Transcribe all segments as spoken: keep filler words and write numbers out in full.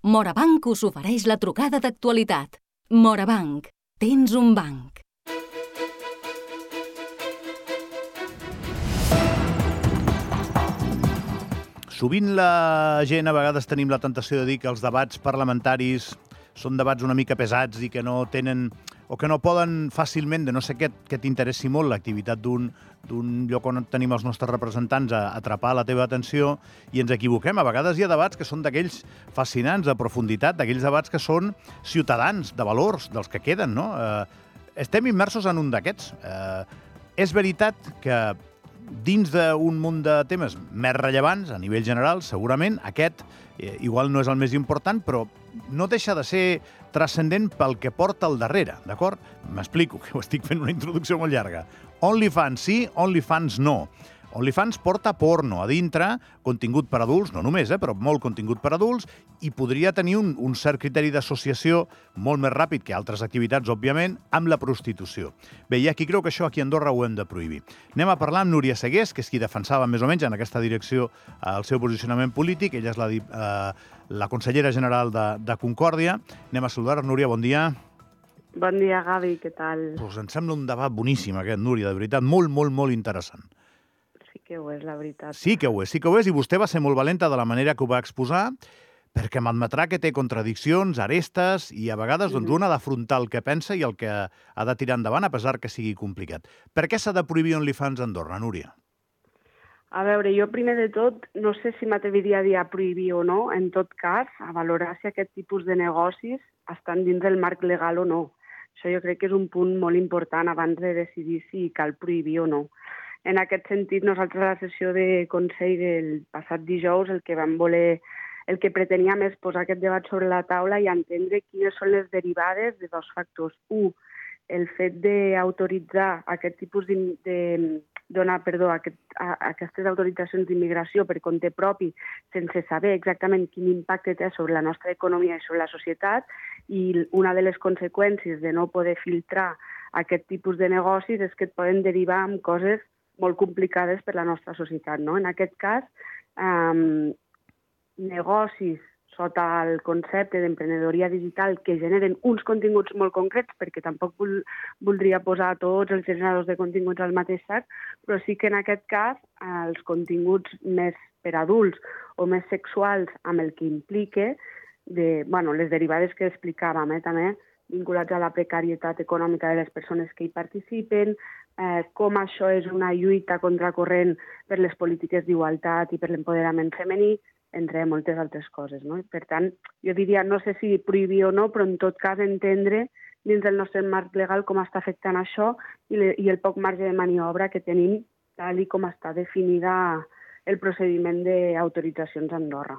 Morabanc us ofereix la trucada d'actualitat. Morabanc, tens un banc. Sovint la gent, a vegades tenim la tentació de dir que els debats parlamentaris són debats una mica pesats i que no tenen o que no poden fàcilment, de no ser que, que t'interessi molt l'activitat d'un d'un lloc on tenim els nostres representants a atrapar la teva atenció, i ens equivoquem. A vegades hi ha debats que són d'aquells fascinants, de profunditat, d'aquells debats que són ciutadans, de valors, dels que queden, no? Eh, estem immersos en un d'aquests. Eh, és veritat que dins d'un munt de temes més rellevants, a nivell general, segurament, aquest eh, igual no és el més important, però no deixa de ser transcendent pel que porta al darrere, d'acord? M'explico, que ho estic fent una introducció molt llarga. OnlyFans sí, OnlyFans no. OnlyFans porta porno a dintre, contingut per adults, no només, eh, però molt contingut per adults, i podria tenir un, un cert criteri d'associació molt més ràpid que altres activitats, òbviament, amb la prostitució. Bé, hi ha qui creu que això aquí a Andorra ho hem de prohibir. Anem a parlar amb Núria Segués, que és qui defensava més o menys en aquesta direcció el seu posicionament polític. Ella és la, eh, la consellera general de, de Concòrdia. Anem a saludar. Núria, bon dia. Bon dia, Gavi, què tal? Pues em sembla un debat boníssim aquest, Núria, de veritat, molt, molt, molt interessant. Sí que ho és, la veritat. Sí que ho és, sí que ho és, i vostè va ser molt valenta de la manera que ho va exposar, perquè m'admetrà que té contradiccions, arestes, i a vegades doncs, un ha d'afrontar el que pensa i el que ha de tirar endavant, a pesar que sigui complicat. Per què s'ha de prohibir OnlyFans a Andorra, Núria? A veure, jo primer de tot no sé si m'atreviria a dir a prohibir o no, en tot cas, a valorar si aquest tipus de negocis estan dins del marc legal o no. Això jo crec que és un punt molt important abans de decidir si cal prohibir o no. En aquest sentit, nosaltres a la sessió de Consell del passat dijous el que vam voler, el que preteníem és posar aquest debat sobre la taula i entendre quines són les derivades de dos factors. Un, el fet d'autoritzar aquest tipus de, de donar, perdó, aquest, a, aquestes autoritzacions d'immigració per compte propi sense saber exactament quin impacte té sobre la nostra economia i sobre la societat, i una de les conseqüències de no poder filtrar aquest tipus de negocis és que et poden derivar en coses molt complicades per la nostra societat, no? En aquest cas, eh, negocis sota el concepte d'emprenedoria digital que generen uns continguts molt concrets, perquè tampoc vol, voldria posar tots els generadors de continguts al mateix sac, però sí que en aquest cas els continguts més per adults o més sexuals amb el que implica de, bueno, les derivades que explicàvem, eh, també, vinculats a la precarietat econòmica de les persones que hi participen, eh, com això és una lluita contracorrent per les polítiques d'igualtat i per l'empoderament femení, entre moltes altres coses, no? Per tant, jo diria, no sé si prohibir o no, però en tot cas entendre dins del nostre marc legal com està afectant això i, le, i el poc marge de maniobra que tenim tal i com està definida el procediment d'autoritzacions a Andorra.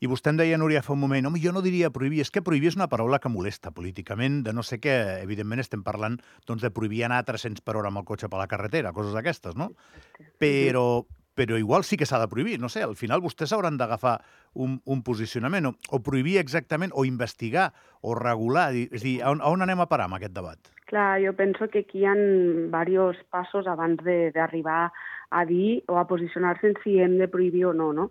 I vostè em deia, Núria, fa un moment, home, jo no diria prohibir, és que prohibir és una paraula que molesta políticament, de no sé què, evidentment estem parlant doncs, de prohibir anar a tres-cents per hora amb el cotxe per la carretera, coses d'aquestes, no? Però, però igual sí que s'ha de prohibir, no sé, al final vostès hauran d'agafar un, un posicionament, o, o prohibir exactament, o investigar, o regular, és a dir, on, on anem a parar amb aquest debat? Clar, jo penso que aquí hi ha diversos passos abans d'arribar a dir o a posicionar-se en si hem de prohibir o no, no?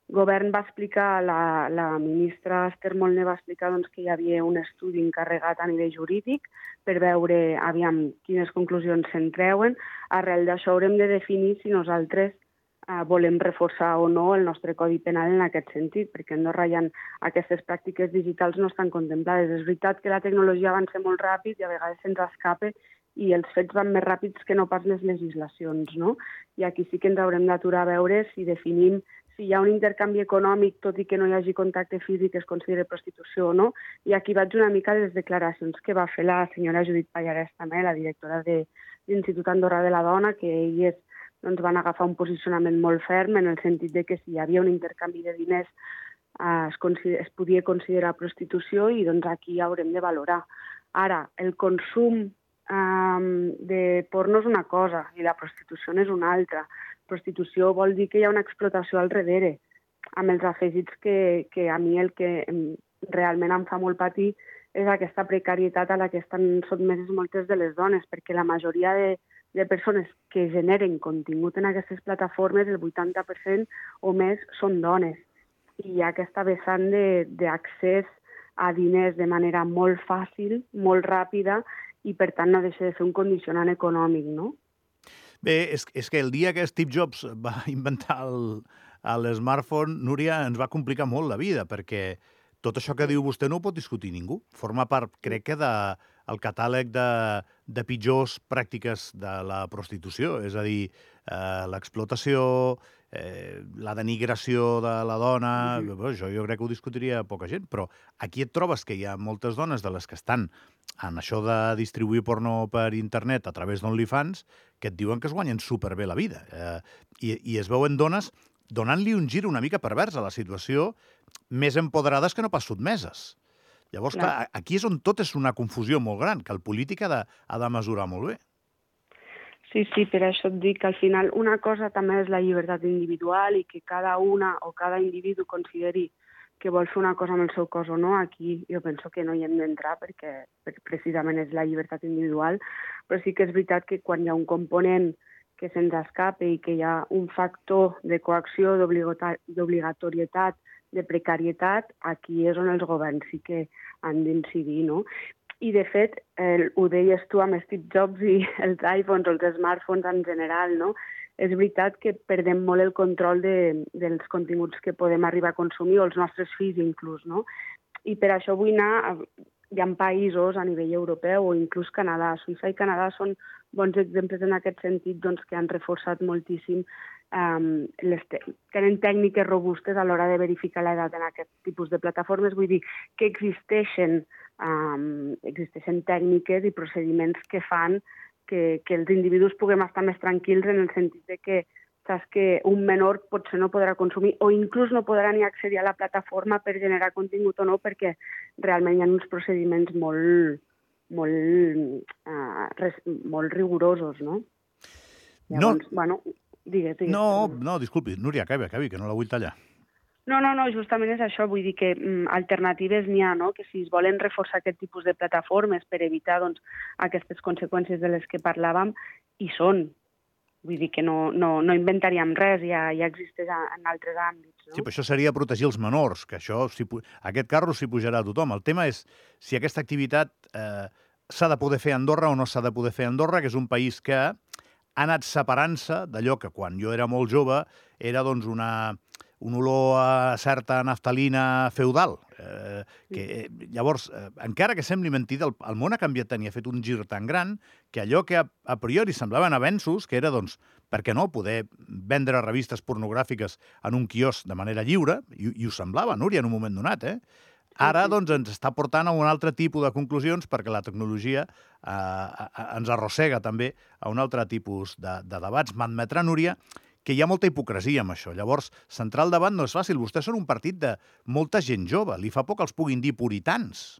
El govern va explicar, la, la ministra Esther Molné va explicar doncs, que hi havia un estudi encarregat a nivell jurídic per veure aviam quines conclusions se'n treuen. Arrel d'això haurem de definir si nosaltres eh, volem reforçar o no el nostre codi penal en aquest sentit, perquè a Andorra hi ha aquestes pràctiques digitals no estan contemplades. És veritat que la tecnologia avança molt ràpid i a vegades se'ns escapa i els fets van més ràpids que no pas les legislacions, no? I aquí sí que ens haurem d'aturar a veure si definim si hi ha un intercanvi econòmic, tot i que no hi hagi contacte físic, es considera prostitució o no. I aquí vaig una mica de les declaracions que va fer la senyora Judit Pallarès, també, la directora de l'Institut Andorra de la Dona, que elles doncs, van agafar un posicionament molt ferm en el sentit de que si hi havia un intercanvi de diners eh, es, es podia considerar prostitució i doncs aquí haurem de valorar. Ara, el consum eh, de porno és una cosa i la prostitució és una altra. Prostitució vol dir que hi ha una explotació al darrere, amb els afegits que, que a mi el que realment em fa molt patir és aquesta precarietat a la que estan sotmeses moltes de les dones, perquè la majoria de, de persones que generen contingut en aquestes plataformes, el vuitanta per cent o més, són dones. i hi ha aquesta vessant d'accés a diners de manera molt fàcil, molt ràpida, i per tant no deixa de ser un condicionant econòmic, no? Bé, és, és que el dia que Steve Jobs va inventar el, l'smartphone, Núria, ens va complicar molt la vida, perquè tot això que diu vostè no ho pot discutir ningú. Forma part, crec que, del de, catàleg de, de pitjors pràctiques de la prostitució, és a dir, eh, l'explotació, eh, la denigració de la dona... Mm-hmm. Bé, això jo crec que ho discutiria poca gent, però aquí et trobes que hi ha moltes dones de les que estan en això de distribuir porno per internet a través d'OnlyFans que et diuen que es guanyen superbé la vida. Eh, i, I es veuen dones donant-li un gir una mica pervers a la situació, més empoderades que no pas sotmeses. Llavors, clar, clar aquí és on tot és una confusió molt gran, que el polític ha de, ha de mesurar molt bé. Sí, sí, per això et dic que al final una cosa també és la llibertat individual i que cada una o cada individu consideri que vol fer una cosa amb el seu cos o no. Aquí jo penso que no hi hem d'entrar perquè precisament és la llibertat individual, però sí que és veritat que quan hi ha un component que se'ns escape i que hi ha un factor de coacció, d'obligatorietat, de precarietat, aquí és on els governs sí que han d'incidir, no? I, de fet, el, ho deies tu amb Steve Jobs i els iPhones o els smartphones en general, no? És veritat que perdem molt el control de, dels continguts que podem arribar a consumir, o els nostres fills inclús, no? I per això vull anar... Hi ha països a nivell europeu o inclús Canadà. Suïssa i Canadà són bons exemples en aquest sentit, doncs, que han reforçat moltíssim, um, les te tenen tècniques robustes a l'hora de verificar l'edat en aquest tipus de plataformes. Vull dir que existeixen, um, existeixen tècniques i procediments que fan que, que els individus puguem estar més tranquils en el sentit de que saps que un menor potser no podrà consumir o inclús no podrà ni accedir a la plataforma per generar contingut o no, perquè realment hi ha uns procediments molt, molt, uh, res, molt rigorosos, no? Llavors, no. Bueno, digues, digues. No, no, disculpi, Núria, acabi, acabi, que no la vull tallar. No, no, no, justament és això, vull dir que mm, alternatives n'hi ha, no? Que si es volen reforçar aquest tipus de plataformes per evitar doncs, aquestes conseqüències de les que parlàvem, hi són. Vull dir que no, no, no inventaríem res, ja, ja existeix en altres àmbits. No? Sí, però això seria protegir els menors, que això, si, aquest carro s'hi pujarà a tothom. El tema és si aquesta activitat eh, s'ha de poder fer a Andorra o no s'ha de poder fer a Andorra, que és un país que ha anat separant-se d'allò que quan jo era molt jove era doncs, una, un olor a certa naftalina feudal. Eh, que, eh, llavors, eh, encara que sembli mentida, el, el món ha canviat tant i ha fet un gir tan gran que allò que a, a priori semblaven avenços, que era, doncs, per què no, poder vendre revistes pornogràfiques en un quiosc de manera lliure, i, i ho semblava, Núria, en un moment donat, eh? Ara, doncs, ens està portant a un altre tipus de conclusions perquè la tecnologia eh, ens arrossega també a un altre tipus de, de debats. M'admetrà, Núria, que hi ha molta hipocresia amb això. Llavors, centrar el debat no és fàcil. Vostès són un partit de molta gent jove. Li fa por que els puguin dir puritans.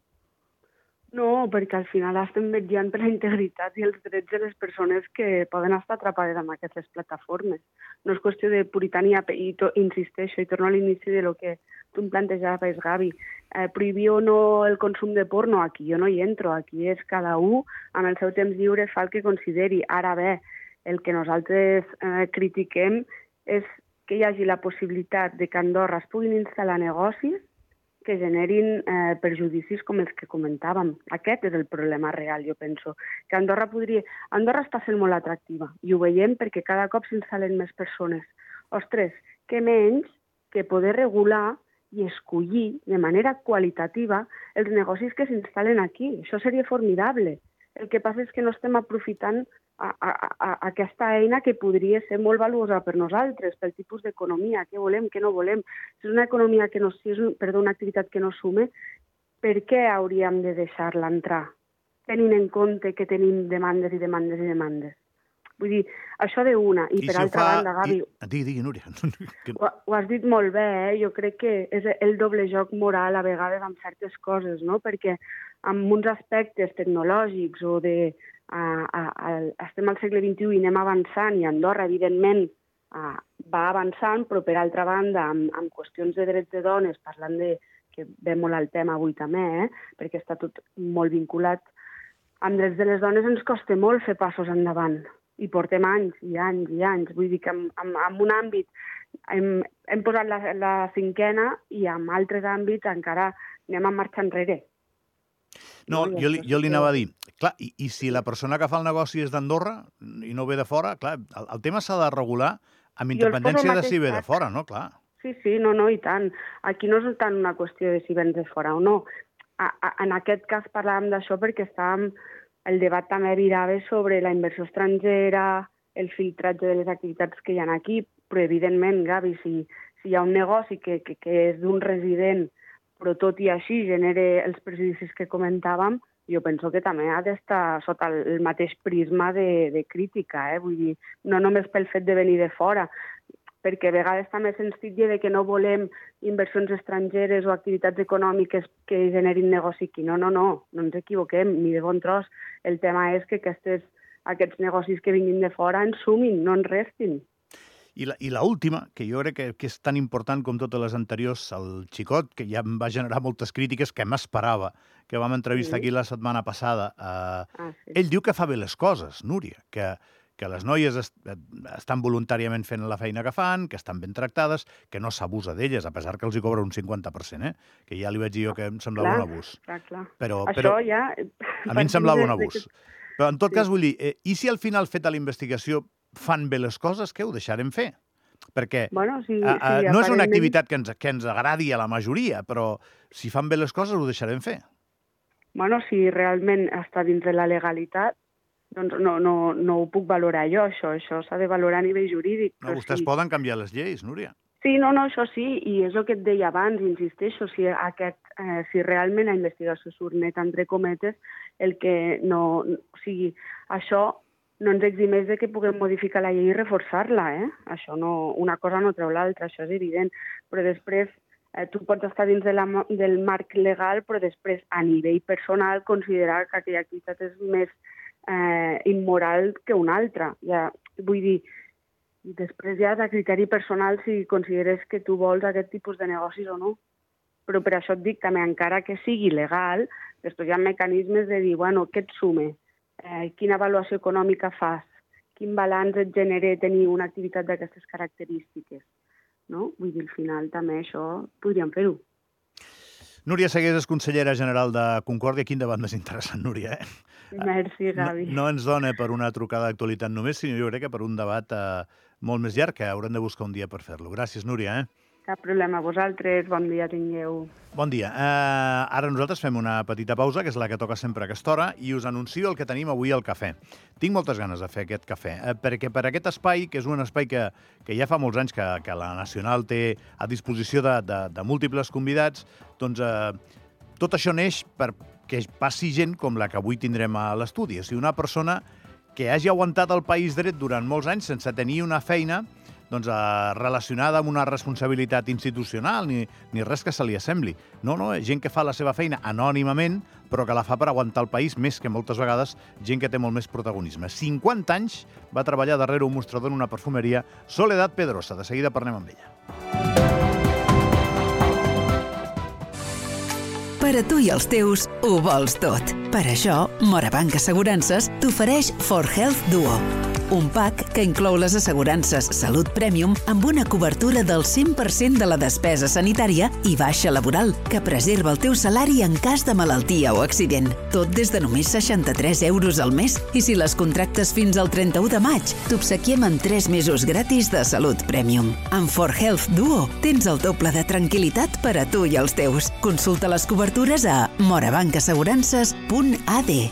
No, perquè al final estem vetllant per la integritat i els drets de les persones que poden estar atrapades amb aquestes plataformes. No és qüestió de puritania, i to, insisteixo, i torno a l'inici de lo que tu em plantejaves, Gavi. Eh, prohibir o no el consum de porno, aquí jo no hi entro. Aquí és cada un, amb el seu temps lliure, fa el que consideri. Ara bé, el que nosaltres eh, critiquem és que hi hagi la possibilitat de que a Andorra es puguin instal·lar negocis que generin eh, perjudicis com els que comentàvem. Aquest és el problema real, jo penso. Que Andorra podria... Andorra està sent molt atractiva i ho veiem perquè cada cop s'instal·len més persones. Ostres, què menys que poder regular i escollir de manera qualitativa els negocis que s'instal·len aquí. Això seria formidable. El que passa és que no estem aprofitant a, a, a aquesta eina que podria ser molt valuosa per nosaltres, pel tipus d'economia, què volem, què no volem. Si és una economia que no, si és un, perdó, una activitat que no sume, per què hauríem de deixar-la entrar, tenint en compte que tenim demandes i demandes i demandes? Vull dir, això d'una. I, I per si altra fa... banda, Gavi... I... Digui, digui, Núria. Ho, ho has dit molt bé, eh? Jo crec que és el doble joc moral a vegades amb certes coses, no? Perquè amb uns aspectes tecnològics o de... A, a, a, estem al segle vint-i-u i anem avançant, i Andorra, evidentment, a, va avançant, però, per altra banda, amb, amb qüestions de drets de dones, parlant de... que ve molt al tema avui també, eh? Perquè està tot molt vinculat. Amb drets de les dones ens costa molt fer passos endavant. i portem anys i anys i anys. Vull dir que en, en, en un àmbit hem, hem posat la, la cinquena i en altres àmbits encara anem a marxar enrere. No, no jo, li, jo li anava a dir, clar, i, i si la persona que fa el negoci és d'Andorra i no ve de fora, clar, el, el tema s'ha de regular amb independència de si ve de fora, no? Clar. Sí, sí, no, no, i tant. Aquí no és tant una qüestió de si vens de fora o no. A, a, en aquest cas parlàvem d'això perquè estàvem, el debat també virava sobre la inversió estrangera, el filtratge de les activitats que hi ha aquí, però evidentment, Gavi, si, si hi ha un negoci que, que, que és d'un resident, però tot i així genera els prejudicis que comentàvem, jo penso que també ha d'estar sota el mateix prisma de, de crítica, eh? Vull dir, no només pel fet de venir de fora, perquè a vegades també se'ns titlla de que no volem inversions estrangeres o activitats econòmiques que generin negoci aquí. No, no, no, no ens equivoquem, ni de bon tros. El tema és que aquestes, aquests negocis que vinguin de fora ens sumin, no ens restin. I la, i la última, que jo crec que, que és tan important com totes les anteriors, el Xicot, que ja em va generar moltes crítiques, que m'esperava, que vam entrevistar sí. aquí la setmana passada. Eh, ah, sí. Ell diu que fa bé les coses, Núria, que, que les noies est estan voluntàriament fent la feina que fan, que estan ben tractades, que no s'abusa d'elles, a pesar que els hi cobra un cinquanta per cent, eh? Que ja li vaig dir jo que em semblava clar, un abús. Clar, clar. Però, Això però, ja... A mi em semblava un abús. Però en tot sí. cas vull dir, eh, i si al final feta la investigació fan bé les coses, què ho deixarem fer? Perquè bueno, sí, a, a, sí, no aparentment... és una activitat que ens, que ens agradi a la majoria, però si fan bé les coses ho deixarem fer. Bueno, si realment està dins de la legalitat, doncs no, no, no ho puc valorar jo, això. Això s'ha de valorar a nivell jurídic. No, vostès sí. poden canviar les lleis, Núria. Sí, no, no, això sí, i és el que et deia abans, insisteixo, si, aquest, eh, si realment la investigació surt net, entre cometes, el que no... O sigui, això no ens eximeix de que puguem modificar la llei i reforçar-la, eh? Això no, una cosa no treu l'altra, això és evident. Però després, eh, tu pots estar dins de la, del marc legal, però després, a nivell personal, considerar que aquella activitat és més eh, immoral que una altra. Ja, vull dir, després ja és a criteri personal si consideres que tu vols aquest tipus de negocis o no. Però per això et dic també, encara que sigui legal, després hi ha mecanismes de dir, bueno, què et sume? Eh, quina avaluació econòmica fas? Quin balanç et genera tenir una activitat d'aquestes característiques? No? Vull dir, al final també això podríem fer-ho. Núria Segués és consellera general de Concòrdia. Quin debat més interessant, Núria, eh? Merci, Gavi. No, no ens dona per una trucada d'actualitat només, sinó jo crec que per un debat eh, molt més llarg, que haurem de buscar un dia per fer-lo. Gràcies, Núria, eh? Cap problema. Vosaltres, bon dia tingueu. Bon dia. Uh, ara nosaltres fem una petita pausa, que és la que toca sempre a aquesta hora, i us anuncio el que tenim avui al cafè. Tinc moltes ganes de fer aquest cafè, uh, perquè per aquest espai, que és un espai que, que ja fa molts anys que, que la Nacional té a disposició de, de, de múltiples convidats, doncs uh, tot això neix perquè passi gent com la que avui tindrem a l'estudi. O sigui, una persona que hagi aguantat el país dret durant molts anys sense tenir una feina doncs, eh, relacionada amb una responsabilitat institucional, ni, ni res que se li assembli. No, no, gent que fa la seva feina anònimament, però que la fa per aguantar el país, més que moltes vegades gent que té molt més protagonisme. cinquanta anys va treballar darrere un mostrador en una perfumeria, Soledad Pedrosa. De seguida parlem amb ella. Per a tu i els teus, ho vols tot. Per això, Morabanc Assegurances t'ofereix For Health Duo, un pack que inclou les assegurances Salut Premium amb una cobertura del cent per cent de la despesa sanitària i baixa laboral, que preserva el teu salari en cas de malaltia o accident. Tot des de només seixanta-tres euros al mes, i si les contractes fins al trenta-u de maig, t'obsequiem en tres mesos gratis de Salut Premium. Amb For Health Duo tens el doble de tranquil·litat per a tu i els teus. Consulta les cobertures a morabanc assegurances punt a d.